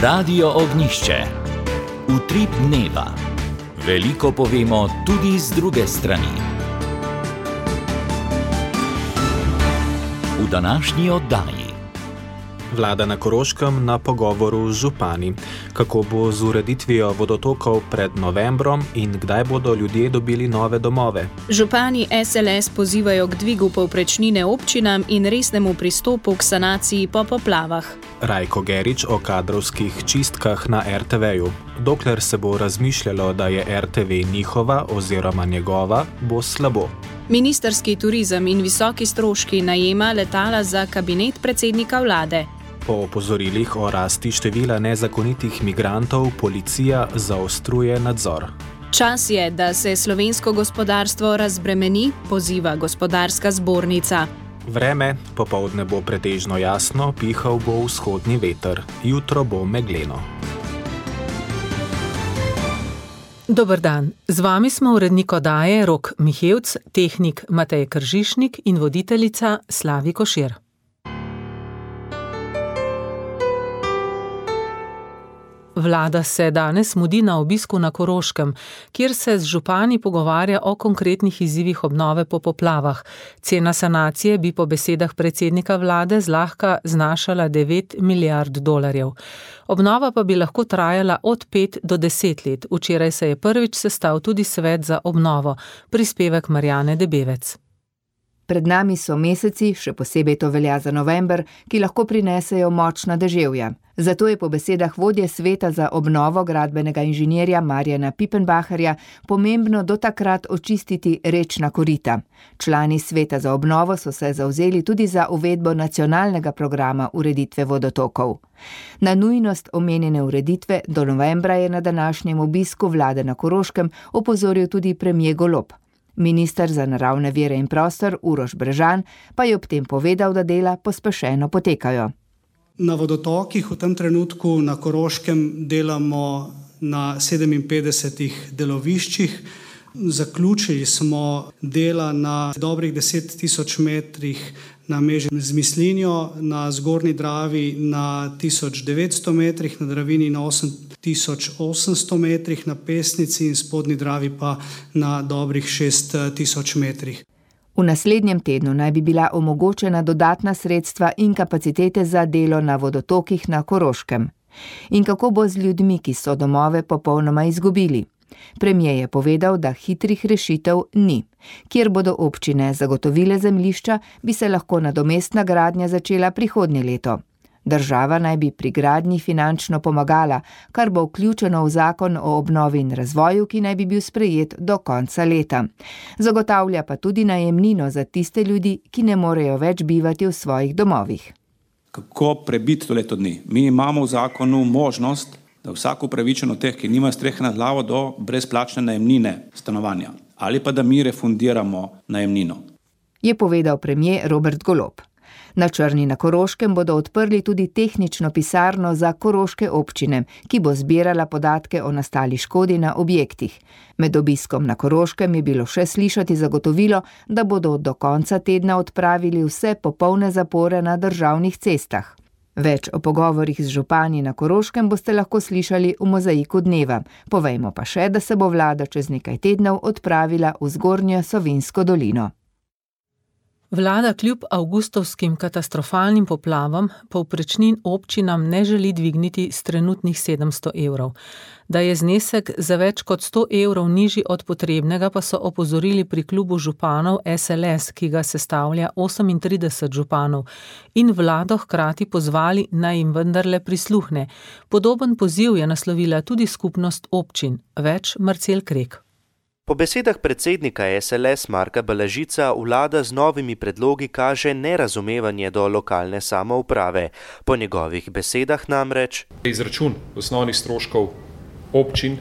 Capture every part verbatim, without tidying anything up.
Radio Ognjišče. Utrip dneva. Veliko povemo tudi z druge strani. V današnji oddaji. Vlada na Koroškem na pogovoru z župani. Kako bo z ureditvijo vodotokov pred novembrom in kdaj bodo ljudje dobili nove domove? Župani es el es pozivajo k dvigu povprečnine občinam in resnemu pristopu k sanaciji po poplavah. Rajko Gerič o kadrovskih čistkah na er te veju. Dokler se bo razmišljalo, da je er te ve njihova oziroma njegova, bo slabo. Ministrski turizem in visoki stroški najema letala za kabinet predsednika vlade. Po opozorilih o rasti števila nezakonitih migrantov policija zaostruje nadzor. Čas je, da se slovensko gospodarstvo razbremeni, poziva gospodarska zbornica. Vreme, popoldne bo pretežno jasno, pihal bo vzhodni veter, jutro bo megleno. Dober dan, z vami smo urednik oddaje Rok Mihevc, tehnik Matej Kržišnik in voditeljica Slavi Košir. Vlada se danes mudi na obisku na Koroškem, kjer se z župani pogovarja o konkretnih izzivih obnove po poplavah. Cena sanacije bi po besedah predsednika vlade zlahka znašala devet milijard dolarjev. Obnova pa bi lahko trajala od pet do deset let. Včeraj se je prvič sestal tudi svet za obnovo. Prispevek Marjane Debevec. Pred nami so meseci, še posebej to velja za november, ki lahko prinesejo močna deževja. Zato je po besedah vodje sveta za obnovo gradbenega inženirja Marjana Pipenbacherja pomembno do takrat očistiti rečna korita. Člani sveta za obnovo so se zavzeli tudi za uvedbo nacionalnega programa ureditve vodotokov. Na nujnost omenjene ureditve do novembra je na današnjem obisku vlade na Koroškem opozoril tudi premier Golob. Minister za naravne vire in prostor Uroš Brežan pa je ob tem povedal, da dela pospešeno potekajo. Na vodotokih v tem trenutku na Koroškem delamo na sedeminpetdesetih deloviščih. Zaključili smo dela na dobrih deset tisoč metrih na meži z Mislinjo, na Zgornji Dravi na tisoč devetsto metrih, na Dravini na osem tisoč osemsto metrih, na Pesnici in Spodnji Dravi pa na dobrih šest tisoč metrih. V naslednjem tednu naj bi bila omogočena dodatna sredstva in kapacitete za delo na vodotokih na Koroškem. In kako bo z ljudmi, ki so domove popolnoma izgubili? Premier je povedal, da hitrih rešitev ni. Kjer bodo občine zagotovile zemljišča, bi se lahko nadomestna gradnja začela prihodnje leto. Država naj bi pri gradnji finančno pomagala, kar bo vključeno v zakon o obnovi in razvoju, ki naj bi bil sprejet do konca leta. Zagotavlja pa tudi najemnino za tiste ljudi, ki ne morejo več bivati v svojih domovih. Kako prebiti to leto dni? Mi imamo v zakonu možnost, da vsak upravičen od teh, ki nima strehe nad glavo, do brezplačne najemnine stanovanja ali pa da mi refundiramo najemnino. Je povedal premier Robert Golob. Na Črni na Koroškem bodo odprli tudi tehnično pisarno za koroške občine, ki bo zbirala podatke o nastali škodi na objektih. Med obiskom na Koroškem je bilo še slišati zagotovilo, da bodo do konca tedna odpravili vse popolne zapore na državnih cestah. Več o pogovorih z župani na Koroškem boste lahko slišali v Mozaiku dneva. Povejmo pa še, da se bo vlada čez nekaj tednov odpravila v Zgornjo Savinjsko dolino. Vlada kljub avgustovskim katastrofalnim poplavam povprečnin občinam ne želi dvigniti s trenutnih sedemsto evrov. Da je znesek za več kot sto evrov nižji od potrebnega, pa so opozorili pri klubu županov es el es, ki ga sestavlja osemintrideset županov, in vlado hkrati pozvali, naj jim vendarle prisluhne. Podoben poziv je naslovila tudi skupnost občin. Več Marcel Krek. Po besedah predsednika es el es Marka Balažica vlada z novimi predlogi kaže nerazumevanje do lokalne samouprave. Po njegovih besedah namreč izračun osnovnih stroškov občin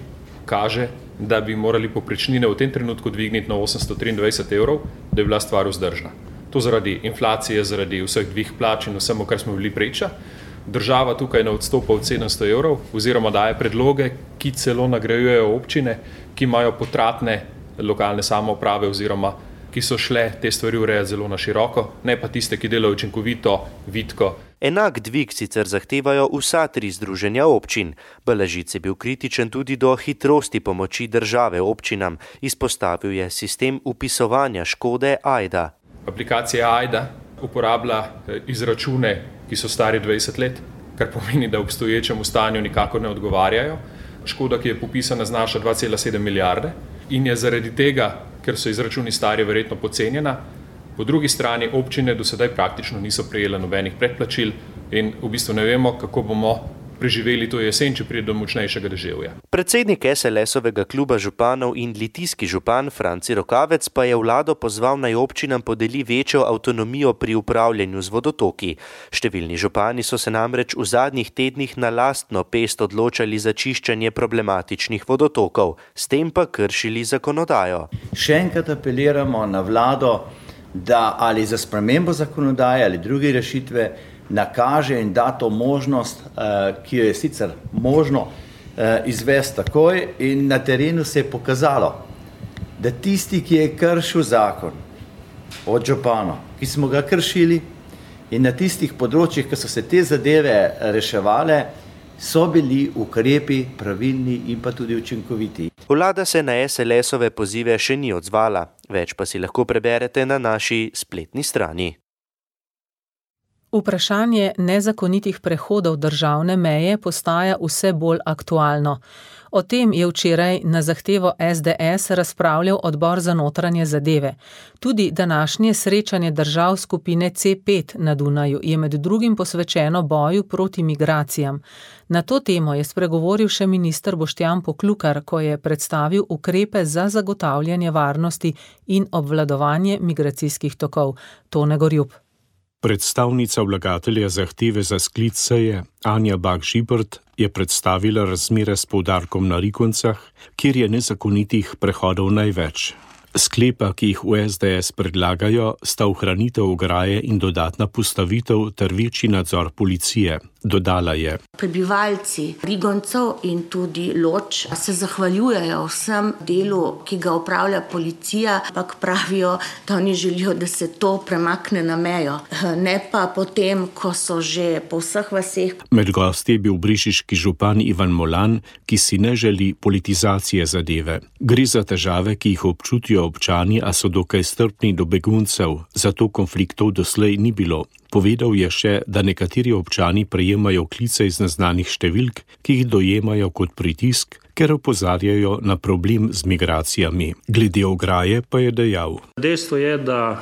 kaže, da bi morali povprečnine v tem trenutku dvigniti na osemsto triindvajset evrov, da je bila stvar vzdržna. To zaradi inflacije, zaradi vseh dvih plač in vsemu, kar smo bili priča. Država tukaj ne odstopa od sedemsto evrov oziroma daje predloge, ki celo nagrajujejo občine, ki imajo potratne lokalne samouprave oziroma ki so šle te stvari urejati zelo na široko, ne pa tiste, ki delajo učinkovito, vitko Enak dvig sicer zahtevajo vsa tri združenja občin. Balažic je bil kritičen tudi do hitrosti pomoči države občinam. Izpostavil je sistem upisovanja škode Ajda. Aplikacija Ajda uporablja izračune, ki so stari dvajset let, kar pomeni, da obstoječemu stanju nikakor ne odgovarjajo. Škoda, ki je popisana, znaša dva cela sedem milijarde in je zaradi tega, ker so izračuni stari, verjetno podcenjena. Po drugi strani občine do sedaj praktično niso prejele nobenih predplačil in v bistvu ne vemo, kako bomo preživeli to jesen, če pride do močnejšega deževja. Predsednik es el esovega kluba županov in litijski župan Franci Rokavec pa je vlado pozval, naj občinam podeli večjo avtonomijo pri upravljanju z vodotoki. Številni župani so se namreč v zadnjih tednih na lastno pest odločali za čiščenje problematičnih vodotokov, s tem pa kršili zakonodajo. Še enkrat apeliramo na vlado, da ali za spremembo zakonodaje ali druge rešitve nakaže in da to možnost, ki jo je sicer možno izvesti takoj, in na terenu se je pokazalo, da tisti, ki je kršil zakon od županov, ki smo ga kršili, in na tistih področjih, ki so se te zadeve reševale, so bili ukrepi pravilni in pa tudi učinkoviti. Vlada se na es el esove pozive še ni odzvala, več pa si lahko preberete na naši spletni strani. Vprašanje nezakonitih prehodov državne meje postaja vse bolj aktualno. O tem je včeraj na zahtevo es de es razpravljal odbor za notranje zadeve. Tudi današnje srečanje držav skupine ce pet na Dunaju je med drugim posvečeno boju proti migracijam. Na to temo je spregovoril še minister Boštjan Poklukar, ko je predstavil ukrepe za zagotavljanje varnosti in obvladovanje migracijskih tokov. Tone Gorjup. Predstavnica vlagatelja zahteve za sklic seje Anja Bah Žibert je predstavila razmere s poudarkom na Rikoncah, kjer je nezakonitih prehodov največ. Sklepa, ki jih v es de es predlagajo, sta ohranitev ograje in dodatna postavitev ter večji nadzor policije. Dodala je: Prebivalci Rigoncev in tudi Loč se zahvaljujejo vsem delu, ki ga opravlja policija, ampak pravijo, da oni želijo, da se to premakne na mejo, ne pa potem, ko so že po vseh vaseh. Med gosti je bil brežiški župan Ivan Molan, ki si ne želi politizacije zadeve. Gre za težave, ki jih občutijo občani, a so dokaj strpni do beguncev, zato konfliktov doslej ni bilo. Povedal je še, da nekateri občani prejemajo klice iz neznanih številk, ki jih dojemajo kot pritisk, ker opozarjajo na problem z migracijami. Glede ograje pa je dejal: Dejstvo je, da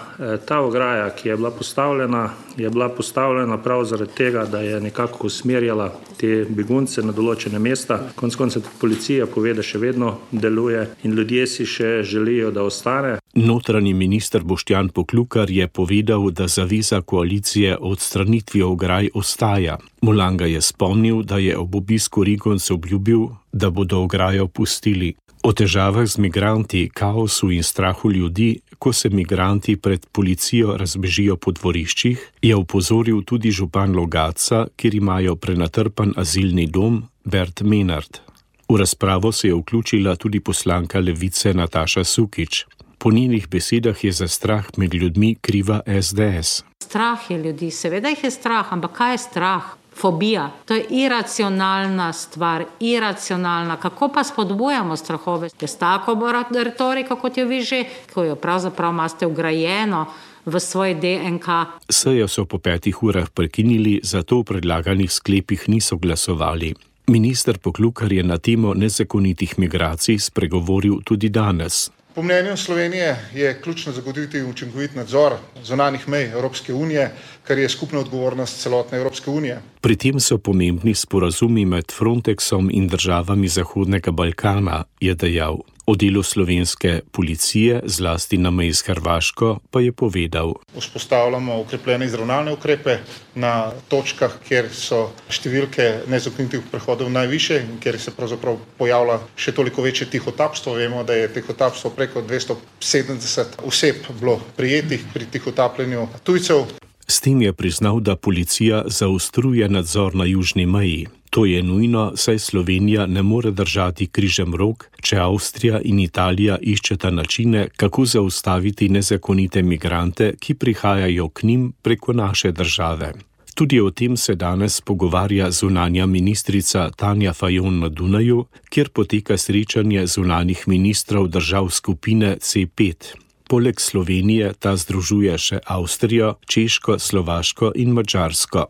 ta ograja, ki je bila postavljena, je bila postavljena prav zaradi tega, da je nekako usmerjala te begunce na določene mesta. Konec koncev policija pove, da še vedno deluje in ljudje si še želijo, da ostane. Notranji minister Boštjan Poklukar je povedal, da zaveza koalicije o odstranitvi ograj ostaja. Molanga je spomnil, da je ob obisku Rigoncev obljubil, da bodo ograjo pustili. O težavah z migranti, kaosu in strahu ljudi, ko se migranti pred policijo razbežijo po dvoriščih, je opozoril tudi župan Logatca, kjer imajo prenatrpan azilni dom, Bert Menard. V razpravo se je vključila tudi poslanka Levice Nataša Sukič. Po njenih besedah je za strah med ljudmi kriva es de es. Strah je ljudi, seveda jih je strah, ampak kaj je strah? Fobija. To je iracionalna stvar, iracionalna. Kako pa spodbujamo strahove? Je s tako retoriko, kot jo vi že, ko jo pravzaprav imate vgrajeno v svoj de en ka. Sejo so po petih urah prekinili, zato v predlaganih sklepih niso glasovali. Minister Poklukar je na temo nezakonitih migracij spregovoril tudi danes. Po mnenju Slovenije je ključno zagotoviti učinkovit nadzor zunanjih mej Evropske unije, kar je skupna odgovornost celotne Evropske unije. Pri tem so pomembni sporazumi med Frontexom in državami Zahodnega Balkana, je dejal. O delu slovenske policije, zlasti na meji s Hrvaško, pa je povedal: Vzpostavljamo okrepljene izravnalne ukrepe na točkah, kjer so številke nezakonitih prehodov najviše in kjer se pravzaprav pojavlja še toliko večje tihotapstvo. Vemo, da je tihotapstvo preko dvesto sedemdeset oseb bilo prijetih pri tihotapljenju tujcev. S tem je priznal, da policija zaostruje nadzor na južni meji. To je nujno, saj Slovenija ne more držati križem rok, če Avstrija in Italija iščeta načine, kako zaustaviti nezakonite migrante, ki prihajajo k njim preko naše države. Tudi o tem se danes pogovarja zunanja ministrica Tanja Fajon na Dunaju, kjer poteka srečanje zunanjih ministrov držav skupine C pet. Poleg Slovenije ta združuje še Avstrijo, Češko, Slovaško in Madžarsko.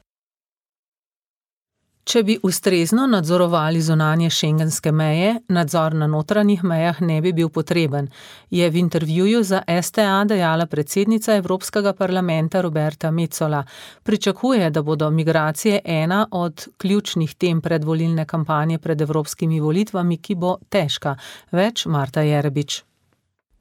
Če bi ustrezno nadzorovali zunanje šengenske meje, nadzor na notranjih mejah ne bi bil potreben, je v intervjuju za S T A dejala predsednica Evropskega parlamenta Roberta Metsola. Pričakuje, da bodo migracije ena od ključnih tem predvolilne kampanje pred evropskimi volitvami, ki bo težka. Več Marta Jerebič.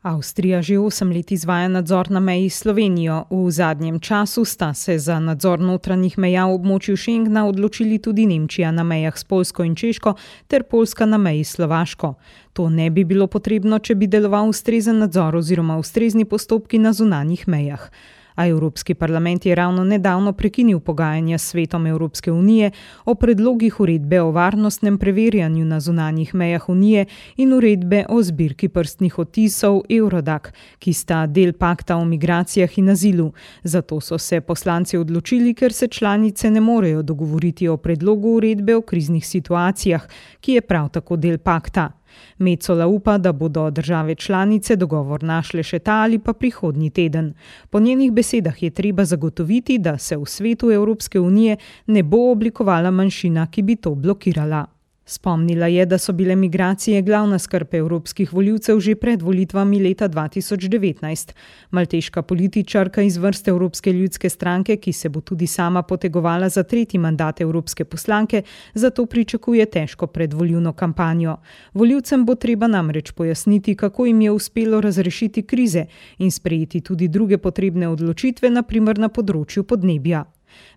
Avstrija že osem let izvaja nadzor na meji s Slovenijo. V zadnjem času sta se za nadzor notranjih meja v območju Schengna odločili tudi Nemčija na mejah s Poljsko in Češko ter Poljska na meji s Slovaško. To ne bi bilo potrebno, če bi deloval ustrezen nadzor oziroma ustrezni postopki na zunanjih mejah. A Evropski parlament je ravno nedavno prekinil pogajanja s Svetom Evropske unije o predlogih uredbe o varnostnem preverjanju na zunanjih mejah unije in uredbe o zbirki prstnih odtisov Eurodac, ki sta del pakta o migracijah in azilu. Zato so se poslanci odločili, ker se članice ne morejo dogovoriti o predlogu uredbe o kriznih situacijah, ki je prav tako del pakta. Metsola upa, da bodo države članice dogovor našle še ta ali pa prihodnji teden. Po njenih besedah je treba zagotoviti, da se v svetu Evropske unije ne bo oblikovala manjšina, ki bi to blokirala. Spomnila je, da so bile migracije glavna skrb evropskih volivcev že pred volitvami leta dva tisoč devetnajst. Malteška političarka iz vrst Evropske ljudske stranke, ki se bo tudi sama potegovala za tretji mandat evropske poslanke, zato pričakuje težko predvolilno kampanjo. Volivcem bo treba namreč pojasniti, kako jim je uspelo razrešiti krize in sprejeti tudi druge potrebne odločitve, na primer na področju podnebja.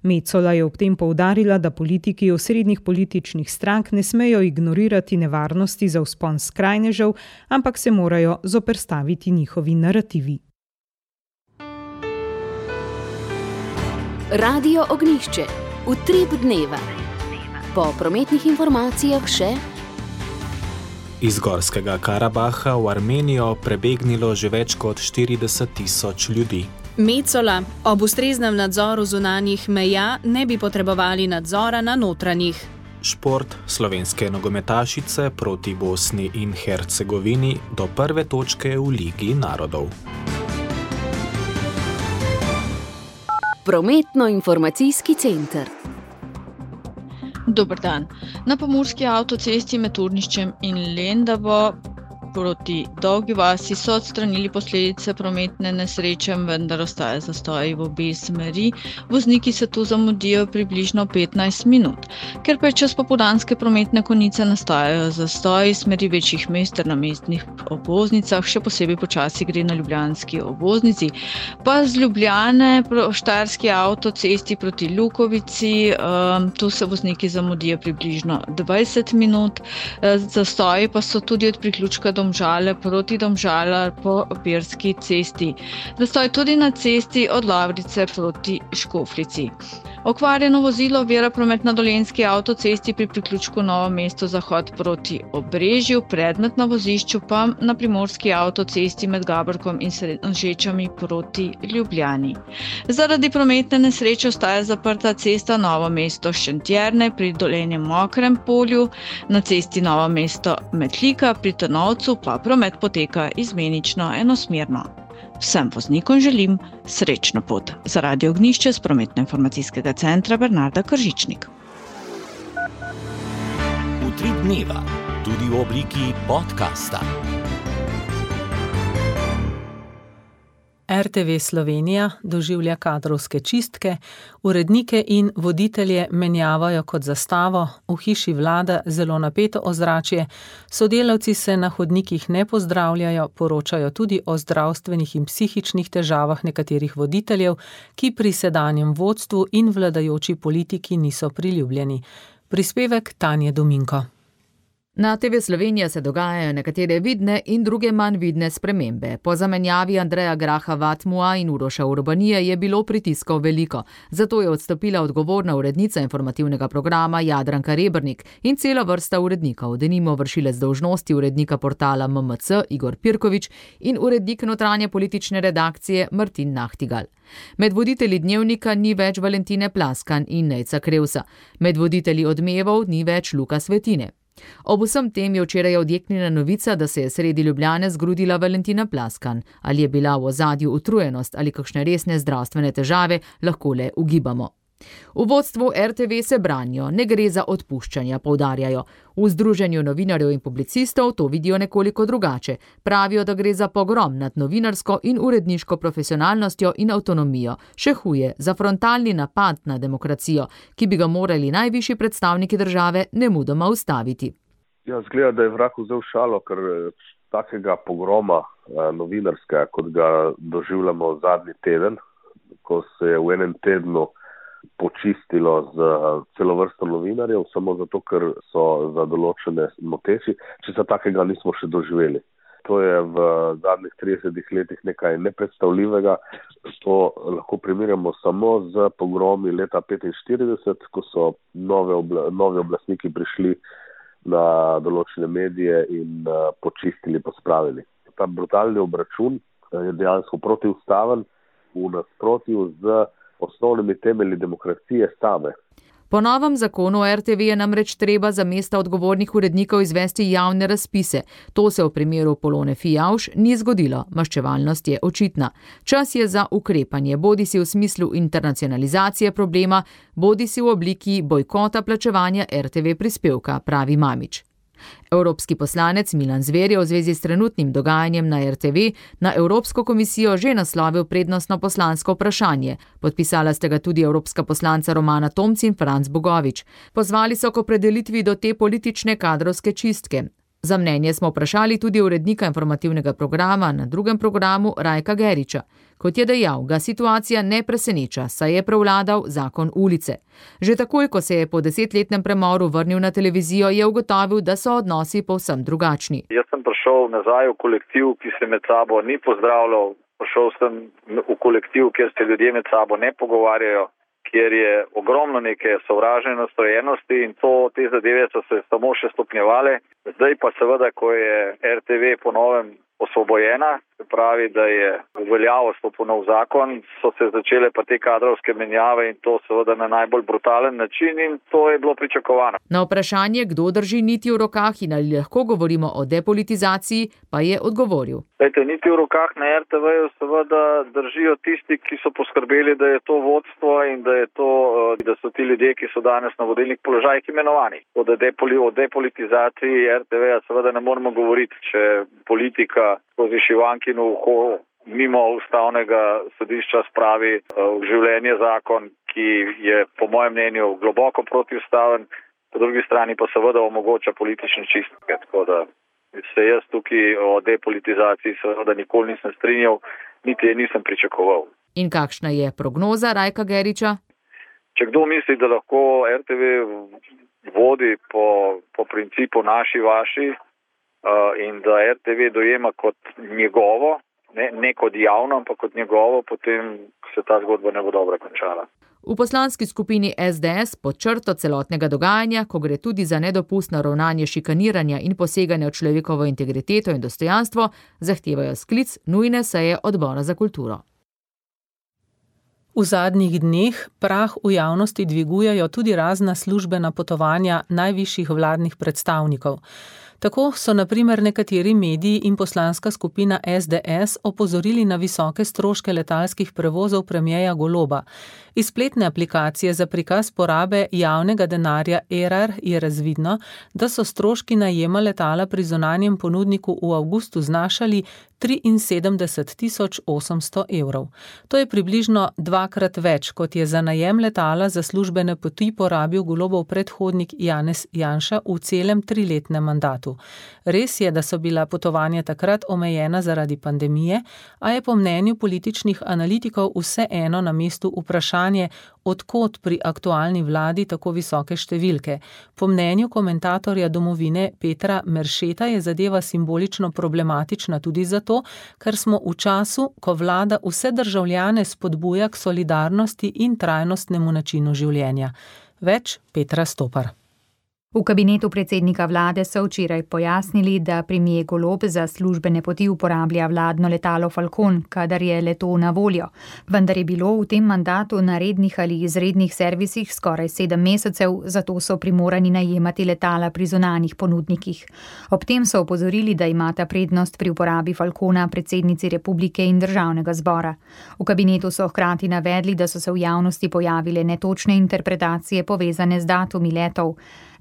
Metsola je ob tem poudarila, da politiki osrednjih političnih strank ne smejo ignorirati nevarnosti za vzpon skrajnežev, ampak se morajo zoperstaviti njihovi narativi. Radio Ognjišče. Utrip dneva. Po prometnih informacijah še... Iz Gorskega Karabaha v Armenijo prebegnilo že več kot štirideset tisoč ljudi. Metsola, ob ustreznem nadzoru zunanjih meja ne bi potrebovali nadzora na notranjih. Šport slovenske nogometašice proti Bosni in Hercegovini do prve točke v Ligi narodov. Prometno-informacijski center. Dober dan. Na pomurski avtocesti med Turniščem in Lendavo proti Dolgi vasi so odstranili posledice prometne nesreče, vendar ostaja zastoj v obe smeri. Vozniki se tu zamudijo približno petnajst minut. Ker pa je čas popoldanske prometne konice, nastajajo zastoji smeri večjih mest ter na mestnih obvoznicah, še posebej počasi gre na ljubljanski obvoznici. Pa z Ljubljane po štajerski avtocesti proti Lukovici, um, tu se vozniki zamudijo približno dvajset minut. Zastoji pa so tudi od priključka do Domžale proti Domžalar po Pirski cesti. Zastoj tudi na cesti od Lavrice proti Škofljici. Okvarjeno vozilo ovira promet na Dolenjski avtocesti pri priključku Novo mesto zahod proti Obrežju, predmet na vozišču pa na Primorski avtocesti med Gaborkom in Srednježečami proti Ljubljani. Zaradi prometne nesreče ostaja zaprta cesta Novo mesto Šentjerne pri Dolenjem Mokrem polju, na cesti Novo mesto Metlika pri Trnovcu pa promet poteka izmenično enosmerno. Vsem voznikom želim srečno pot. Za Radio Ognjišče z prometno-informacijskega centra Bernarda Kržičnik. Utrip dneva, tudi v obliki podcasta. R T V Slovenija doživlja kadrovske čistke, urednike in voditelje menjavajo kot zastavo, v hiši vlada zelo napeto ozračje, sodelavci se na hodnikih ne pozdravljajo, poročajo tudi o zdravstvenih in psihičnih težavah nekaterih voditeljev, ki pri sedanjem vodstvu in vladajoči politiki niso priljubljeni. Prispevek Tanje Dominko. Na te ve Slovenija se dogajajo nekatere vidne in druge manj vidne spremembe. Po zamenjavi Andreja Graha Vatmua in Uroša Urbanije je bilo pritiskov veliko. Zato je odstopila odgovorna urednica informativnega programa Jadranka Rebernik in cela vrsta urednikov, denimo vršilec dolžnosti urednika portala M M C Igor Pirkovič in urednik notranje politične redakcije Martin Nahtigal. Med voditelji Dnevnika ni več Valentine Plaskan in Nejca Krevsa. Med voditelji Odmevov ni več Luka Svetine. Ob vsem tem je včeraj odjeknila novica, da se je sredi Ljubljane zgrudila Valentina Plaskan. Ali je bila v ozadju utrujenost ali kakšne resne zdravstvene težave, lahko le ugibamo. V vodstvu R T V se branijo, ne gre za odpuščanja, poudarjajo. V Združenju novinarjev in publicistov to vidijo nekoliko drugače. Pravijo, da gre za pogrom nad novinarsko in uredniško profesionalnostjo in avtonomijo. Še huje, za frontalni napad na demokracijo, ki bi ga morali najvišji predstavniki države nemudoma ustaviti. Ja, zgleda, da je vrag vzel šalo, ker takega pogroma novinarskega, kot ga doživljamo zadnji teden, ko se je v enem tednu počistilo z celo vrsto novinarjev, samo zato, ker so za določene moteči, če se takega nismo še doživeli. To je v zadnjih tridesetih letih nekaj nepredstavljivega. To lahko primerjamo samo z pogromi leta petinštirideset, ko so nove obla, novi oblastniki prišli na določene medije in uh, počistili, pospravili. Ta brutalni obračun je dejansko protiustaven, v nasprotju z osnovnimi temelji demokracije same. Po novem zakonu R T V je namreč treba za mesta odgovornih urednikov izvesti javne razpise. To se v primeru Polone Fijavž ni zgodilo, maščevalnost je očitna. Čas je za ukrepanje, bodisi v smislu internacionalizacije problema, bodisi v obliki bojkota plačevanja R T V prispevka, pravi Mamić. Evropski poslanec Milan Zver je v zvezi s trenutnim dogajanjem na R T V na Evropsko komisijo že naslovil prednostno poslansko vprašanje. Podpisala sta ga tudi evropska poslanca Romana Tomc in Franc Bogovič. Pozvali so k opredelitvi do te politične kadrovske čistke. Za mnenje smo vprašali tudi urednika informativnega programa na drugem programu Rajka Geriča. Kot je dejal, ga situacija ne preseneča, saj je prevladal zakon ulice. Že takoj, ko se je po desetletnem premoru vrnil na televizijo, je ugotovil, da so odnosi povsem drugačni. Jaz sem prišel nazaj v kolektiv, ki se med sabo ni pozdravljal. Prišel sem v kolektiv, kjer se ljudje med sabo ne pogovarjajo, kjer je ogromno neke sovražne nastrojenosti in to, te zadeve so se samo še stopnjevale. Zdaj pa seveda, ko je R T V po novem osvobojena, se pravi, da je v veljavo stopil nov zakon, so se začele pa te kadrovske menjave in to seveda na najbolj brutalen način in to je bilo pričakovano. Na vprašanje, kdo drži niti v rokah in ali lahko govorimo o depolitizaciji, pa je odgovoril. Lejte, niti v rokah na R T V-ju seveda držijo tisti, ki so poskrbeli, da je to vodstvo in da je to, da so ti ljudje, ki so danes na vodilnih položajih imenovani. O depolitizaciji R T V-ja seveda ne moremo govoriti, če politika skozi šivankino uho mimo ustavnega sodišča spravi v življenje zakon, ki je po mojem mnenju globoko protiustaven, po drugi strani pa seveda omogoča politične čistke. Tako da se jaz tukaj o depolitizaciji seveda nikoli nisem strinjal, niti je nisem pričakoval. In kakšna je prognoza Rajka Geriča? Če kdo misli, da lahko R T V vodi po, po principu naši, vaši, in da R T V dojema kot njegovo, ne, ne kot javno, ampak kot njegovo, potem se ta zgodba ne bo dobro končala. V poslanski skupini S D S pod črto celotnega dogajanja, ko gre tudi za nedopustno ravnanje šikaniranja in poseganja v človekovo integriteto in dostojanstvo, zahtevajo sklic nujne seje odbora za kulturo. V zadnjih dneh prah v javnosti dvigujejo tudi razna službena potovanja najvišjih vladnih predstavnikov. Tako so na primer nekateri mediji in poslanska skupina S D S opozorili na visoke stroške letalskih prevozov premierja Goloba. Iz spletne aplikacije za prikaz porabe javnega denarja Erar je razvidno, da so stroški najema letala pri zunanjem ponudniku v avgustu znašali triinsedemdeset tisoč osemsto evrov. To je približno dvakrat več, kot je za najem letala za službene poti porabil Golobov predhodnik Janez Janša v celem triletnem mandatu. Res je, da so bila potovanja takrat omejena zaradi pandemije, a je po mnenju političnih analitikov vseeno na mestu vprašanje, od kod pri aktualni vladi tako visoke številke. Po mnenju komentatorja Domovine Petra Meršeta je zadeva simbolično problematična tudi zato, ker smo v času, ko vlada vse državljane spodbuja k solidarnosti in trajnostnemu načinu življenja. Več Petra Stopar. V kabinetu predsednika vlade so včeraj pojasnili, da premier Golob za službene poti uporablja vladno letalo Falcon, kadar je leto na voljo. Vendar je bilo v tem mandatu na rednih ali izrednih servisih skoraj sedem mesecev, zato so primorani najemati letala pri zunanjih ponudnikih. Ob tem so opozorili, da imata prednost pri uporabi Falcona predsednici republike in državnega zbora. V kabinetu so hkrati navedli, da so se v javnosti pojavile netočne interpretacije povezane z datumi letov.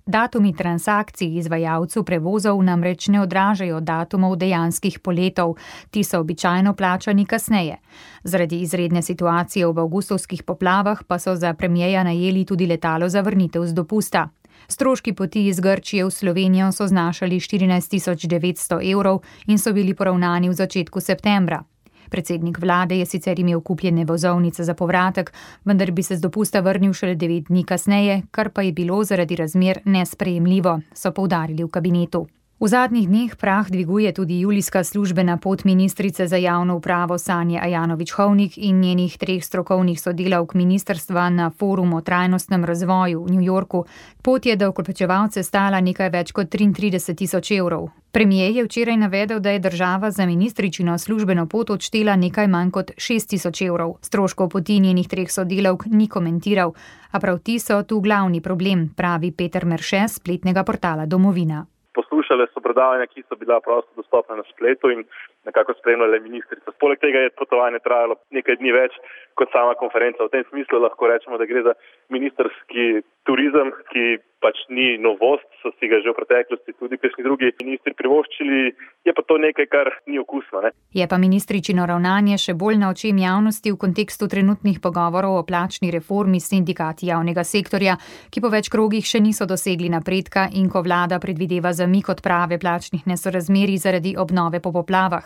Datumi transakcij izvajalcev prevozov namreč ne odražajo datumov dejanskih poletov, ti so običajno plačani kasneje. Zaradi izredne situacije v avgustovskih poplavah pa so za premierja najeli tudi letalo za vrnitev z dopusta. Stroški poti iz Grčije v Slovenijo so znašali štirinajst tisoč devetsto evrov in so bili poravnani v začetku septembra. Predsednik vlade je sicer imel kupljene vozovnice za povratek, vendar bi se z dopusta vrnil šele devet dni kasneje, kar pa je bilo zaradi razmer nesprejemljivo, so poudarili v kabinetu. V zadnjih dneh prah dviguje tudi julijska službena pot ministrice za javno upravo Sanje Ajanović-Hovnik in njenih treh strokovnih sodelavk ministrstva na forum o trajnostnem razvoju v New Yorku. Pot je davkoplačevalce stala nekaj več kot triintrideset tisoč evrov. Premier je včeraj navedel, da je država za ministričino službeno pot odštela nekaj manj kot šest tisoč evrov. Stroškov poti njenih treh sodelavk ni komentiral, a prav ti so tu glavni problem, pravi Peter Merše s spletnega portala Domovina. Poslušale so predavanja, ki so bila prosto dostopna na spletu in nekako spremljale ministrico. Poleg tega je potovanje trajalo nekaj dni več kot sama konferenca. V tem smislu lahko rečemo, da gre za ministrski turizem, ki pač ni novost, so si ga že v preteklosti tudi kakšni drugi ministri privoščili, je pa to nekaj, kar ni okusno. Ne? Je pa ministričino ravnanje še bolj na očem javnosti v kontekstu trenutnih pogovorov o plačni reformi s sindikati javnega sektorja, ki po več krogih še niso dosegli napredka in ko vlada predvideva zamik odprave plačnih nesorazmerij zaradi obnove po poplavah.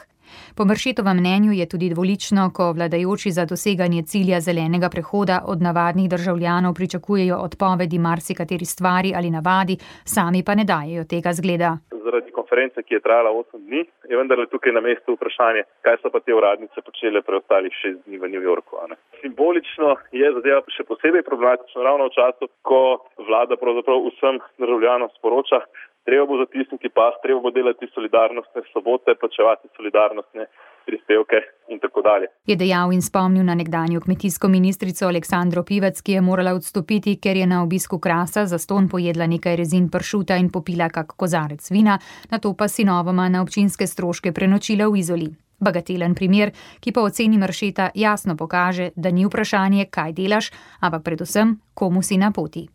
Po Meršetovem mnenju je tudi dvolično, ko vladajoči za doseganje cilja zelenega prehoda od navadnih državljanov pričakujejo odpovedi marsikateri stvari ali navadi, sami pa ne dajejo tega zgleda. Zaradi konference, ki je trajala osem dni, je vendarle tukaj na mestu vprašanje, kaj so pa te uradnice počele preostalih šest dni v New Yorku. Ne? Simbolično je zadeva še posebej problematično ravno v času, ko vlada pravzaprav vsem državljanom sporoča, treba bo zatisniti pas, treba bo delati solidarnostne sobote, plačevati solidarnostne prispevke in tako dalje. Je dejal in spomnil na nekdanjo kmetijsko ministrico Aleksandro Pivec, ki je morala odstopiti, ker je na obisku Krasa zastonj pojedla nekaj rezin pršuta in popila kak kozarec vina, nato pa sinovoma na občinske stroške prenočila v Izoli. Bagatelen primer, ki po oceni Meršeta jasno pokaže, da ni vprašanje, kaj delaš, ampak predvsem, komu si na poti.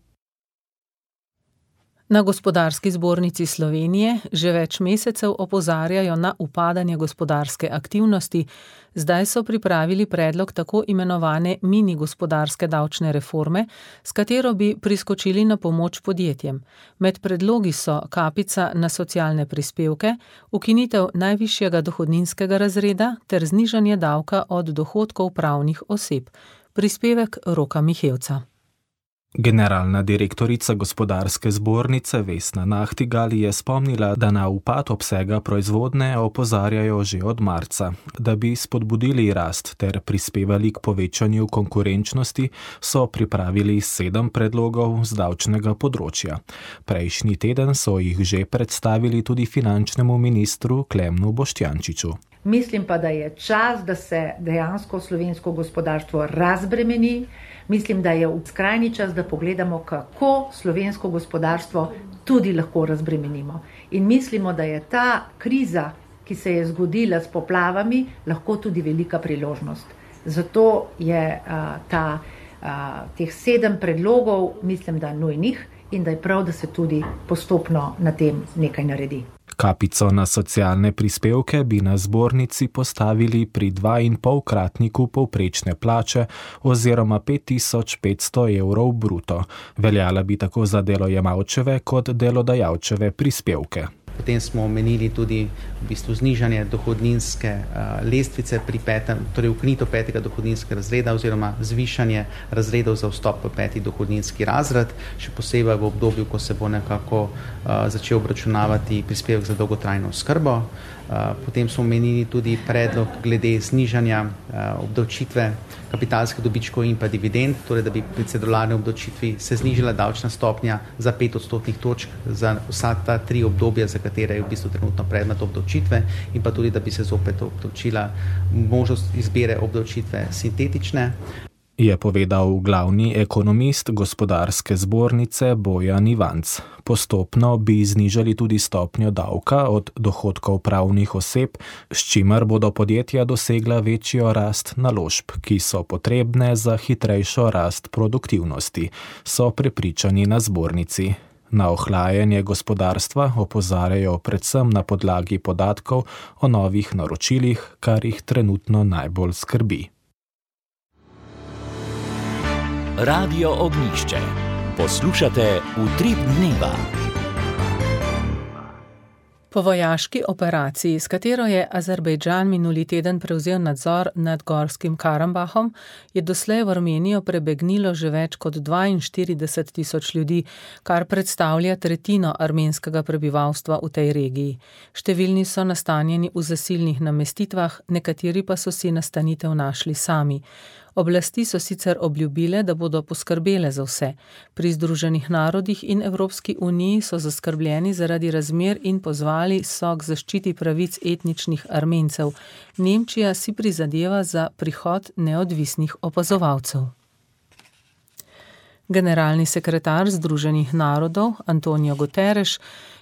Na Gospodarski zbornici Slovenije že več mesecev opozarjajo na upadanje gospodarske aktivnosti. Zdaj so pripravili predlog tako imenovane mini gospodarske davčne reforme, s katero bi priskočili na pomoč podjetjem. Med predlogi so kapica na socialne prispevke, ukinitev najvišjega dohodninskega razreda ter znižanje davka od dohodkov pravnih oseb. Prispevek Roka Mihevca. Generalna direktorica Gospodarske zbornice Vesna Nahtigal je spomnila, da na upad obsega proizvodnje opozarjajo že od marca. Da bi spodbudili rast ter prispevali k povečanju konkurenčnosti, so pripravili sedem predlogov z davčnega področja. Prejšnji teden so jih že predstavili tudi finančnemu ministru Klemnu Boštjančiču. Mislim pa, da je čas, da se dejansko slovensko gospodarstvo razbremeni. Mislim, da je skrajni čas, da pogledamo, kako slovensko gospodarstvo tudi lahko razbremenimo. In mislimo, da je ta kriza, ki se je zgodila s poplavami, lahko tudi velika priložnost. Zato je a, ta, a, teh sedem predlogov, mislim, da nujnih in da je prav, da se tudi postopno na tem nekaj naredi. Kapico na socialne prispevke bi na zbornici postavili pri dvainpolkratniku povprečne plače oziroma pet tisoč petsto evrov bruto. Veljala bi tako za delojemalčeve kot delodajalčeve prispevke. Potem smo omenili tudi v bistvu znižanje dohodninske uh, lestvice pri petem, torej ukinitev petega dohodninskega razreda oziroma zvišanje razredov za vstop v peti dohodninski razred, še posebej v obdobju, ko se bo nekako uh, začel obračunavati prispevek za dolgotrajno oskrbo. Uh, potem smo omenili tudi predlog glede znižanja uh, obdavčitve kapitalskih dobičkov in pa dividend, torej da bi pri cedularni obdavčitvi se znižala davčna stopnja za pet odstotnih točk za vsa ta tri obdobja, za katere je v bistvu trenutno predmet obdavčitve, in pa tudi, da bi se zopet obdavčila možnost izbire obdavčitve sintetične. Je povedal glavni ekonomist Gospodarske zbornice Bojan Ivanc. Postopno bi znižali tudi stopnjo davka od dohodkov pravnih oseb, s čimer bodo podjetja dosegla večjo rast naložb, ki so potrebne za hitrejšo rast produktivnosti, so prepričani na zbornici. Na ohlajanje gospodarstva opozarjajo predvsem na podlagi podatkov o novih naročilih, kar jih trenutno najbolj skrbi. Radio Ognjišče. Poslušate Utrip dneva. Po vojaški operaciji, s katero je Azerbejdžan minuli teden prevzel nadzor nad Gorskim Karabahom, je doslej v Armenijo prebegnilo že več kot dvainštirideset tisoč ljudi, kar predstavlja tretjino armenskega prebivalstva v tej regiji. Številni so nastanjeni v zasilnih namestitvah, nekateri pa so si nastanitev našli sami. Oblasti so sicer obljubile, da bodo poskrbele za vse. Pri Združenih narodih in Evropski uniji so zaskrbljeni zaradi razmer in pozvali so k zaščiti pravic etničnih Armencev. Nemčija si prizadeva za prihod neodvisnih opazovalcev. Generalni sekretar Združenih narodov Antonio Guterres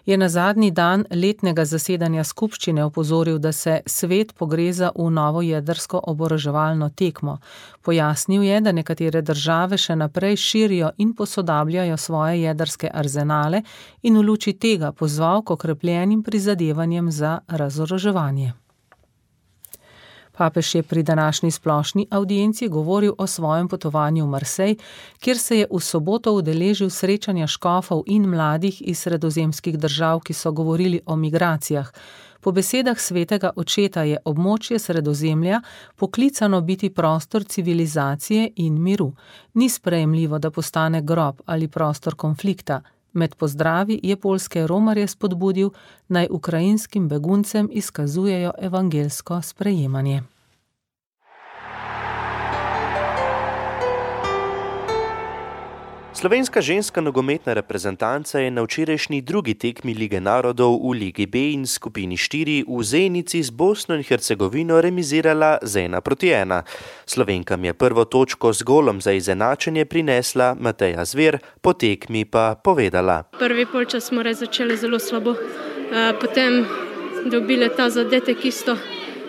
je na zadnji dan letnega zasedanja skupščine opozoril, da se svet pogreza v novo jedrsko oboroževalno tekmo. Pojasnil je, da nekatere države še naprej širijo in posodabljajo svoje jedrske arzenale in v luči tega pozval k okrepljenim prizadevanjem za razoroževanje. Papež je pri današnji splošni avdienci govoril o svojem potovanju v Marsej, kjer se je v soboto udeležil srečanja škofov in mladih iz sredozemskih držav, ki so govorili o migracijah. Po besedah svetega očeta je območje Sredozemlja poklicano biti prostor civilizacije in miru. Ni sprejemljivo, da postane grob ali prostor konflikta. Med pozdravi je poljske romarje spodbudil, naj ukrajinskim beguncem izkazujejo evangelsko sprejemanje. Slovenska ženska nogometna reprezentanca je na včerajšnji drugi tekmi Lige narodov v Ligi B in skupini štiri v Zenici z Bosno in Hercegovino remizirala z ena proti ena. Slovenkam je prvo točko z golom za izenačenje prinesla Mateja Zver, po tekmi pa povedala. Prvi polčas smo res začeli zelo slabo, potem dobili ta zadetek isto.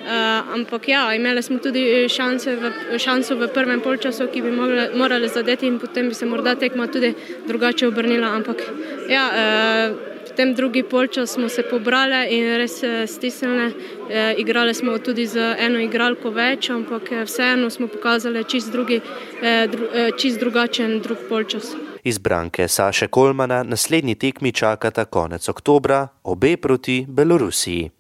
Uh, ampak ja, imeli smo tudi šanse v, šanso v prvem polčasu, ki bi mogli, morali zadeti in potem bi se morda tekma tudi drugače obrnila, ampak ja, uh, v tem drugi polčas smo se pobrali in res stisnili, uh, igrali smo tudi z eno igralko več, ampak vseeno smo pokazali čist, drugi, uh, dru, uh, čist drugačen drug polčas. Izbranke Saše Kolmana naslednji tekmi čakata konec oktobra, obe proti Belorusiji.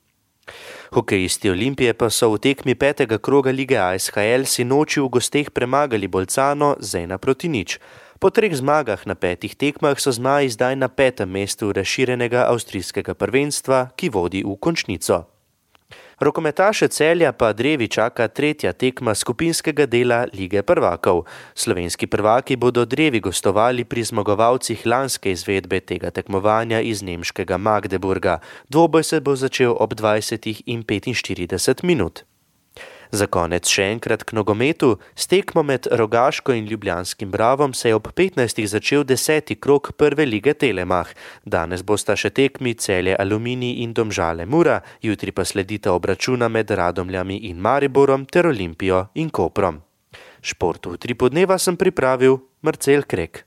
Hokejisti Olimpije pa so v tekmi petega kroga lige A S H L sinoči v gosteh premagali Bolcano z ena proti nič. Po treh zmagah na petih tekmah so zmaji zdaj na petem mestu razširjenega avstrijskega prvenstva, ki vodi v končnico. Rokometaše Celja pa drevi čaka tretja tekma skupinskega dela Lige prvakov. Slovenski prvaki bodo drevi gostovali pri zmagovalcih lanske izvedbe tega tekmovanja iz nemškega Magdeburga. Dvoboj se bo začel ob dvajsetih in petinštirideset minut. Za konec še enkrat k nogometu. S tekmo med Rogaško in Ljubljanskim Bravom se je ob petnajstih začel deseti krog prve lige Telemach. Danes bosta še tekmi Celje Aluminij in Domžale Mura, jutri pa sledita obračuna med Radomljami in Mariborom ter Olimpijo in Koprom. Športu v Utripu dneva sem pripravil Marcel Krek.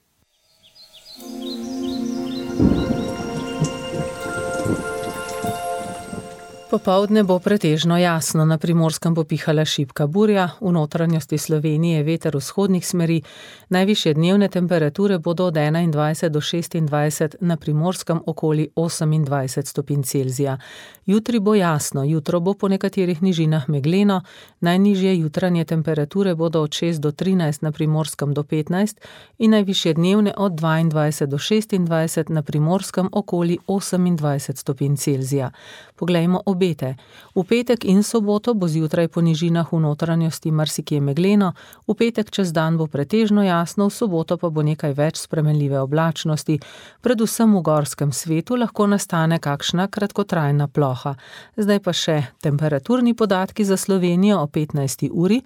popovdne bo pretežno jasno, na Primorskem bo pihala šibka burja, v notranjosti Slovenije veter vzhodnih smeri, najvišje dnevne temperature bodo od enaindvajset do šestindvajset, na Primorskem okoli osemindvajset stopinj Celzija. Jutri bo jasno, jutro bo po nekaterih nižinah megleno, najnižje jutranje temperature bodo od šest do trinajst, na Primorskem do petnajst in najvišje dnevne od dvaindvajset do šestindvajset, na Primorskem okoli osemindvajset stopinj Celzija. Poglejmo obete. V petek in soboto bo zjutraj po nižinah v notranjosti marsikje megleno, v petek čez dan bo pretežno jasno, v soboto pa bo nekaj več spremenljive oblačnosti, predvsem v gorskem svetu lahko nastane kakšna kratkotrajna ploha. Zdaj pa še temperaturni podatki za Slovenijo o petnajsti uri.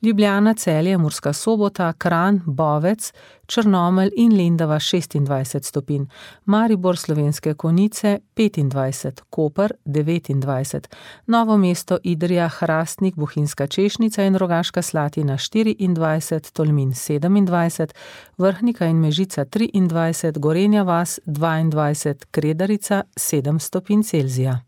Ljubljana, Celje, Murska Sobota, Kranj, Bovec, Črnomelj in Lendava šestindvajset stopinj, Maribor, Slovenske Konjice petindvajset, Koper devetindvajset, Novo mesto, Idrija, Hrastnik, Bohinjska Češnica in Rogaška Slatina štiriindvajset, Tolmin sedemindvajset, Vrhnika in Mežica triindvajset, Gorenja vas dvaindvajset, Kredarica sedem stopinj Celzija.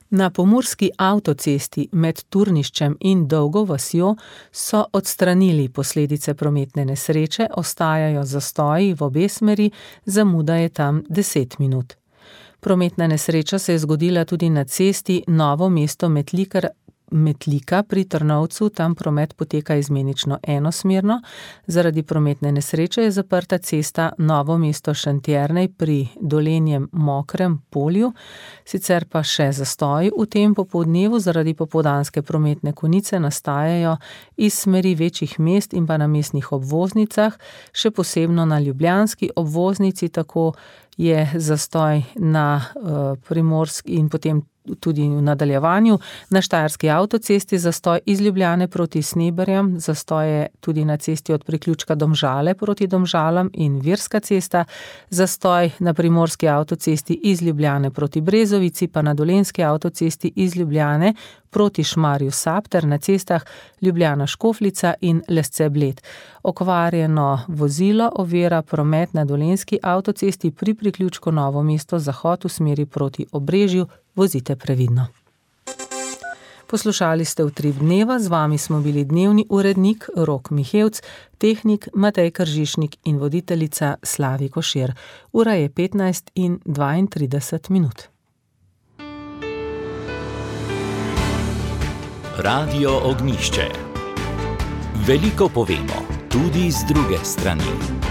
Na pomurski avtocesti med Turniščem in Dolgo vasjo so odstranili posledice prometne nesreče, ostajajo zastoji v obe smeri, zamuda je tam deset minut. Prometna nesreča se je zgodila tudi na cesti Novo mesto Metlikar Metlika pri Trnovcu, tam promet poteka izmenično enosmerno. Zaradi prometne nesreče je zaprta cesta Novo mesto Šentjernej pri Dolenjem Mokrem polju, sicer pa še zastoji v tem popoldnevu zaradi popoldanske prometne konice nastajajo iz smeri večjih mest in pa na mestnih obvoznicah, še posebno na ljubljanski obvoznici, tako je zastoj na uh, Primorski in potem tudi v nadaljevanju. Na štajerski avtocesti zastoj iz Ljubljane proti Sneberjem, zastoj je tudi na cesti od priključka Domžale proti Domžalam in Virska cesta, zastoj na primorski avtocesti iz Ljubljane proti Brezovici, pa na dolenjski avtocesti iz Ljubljane proti Šmarju Sap ter na cestah Ljubljana Škofljica in Lesce Bled. Okvarjeno vozilo ovira promet na dolenjski avtocesti pri priključku Novo mesto zahod v smeri proti Obrežju, vozite previdno. Poslušali ste Utrip dneva, z vami smo bili dnevni urednik Rok Mihevc, tehnik Matej Kržišnik in voditeljica Slavi Košir. Ura je petnajst in dvaintrideset minut. Radio Ognjišče. Veliko povemo, tudi z druge strani.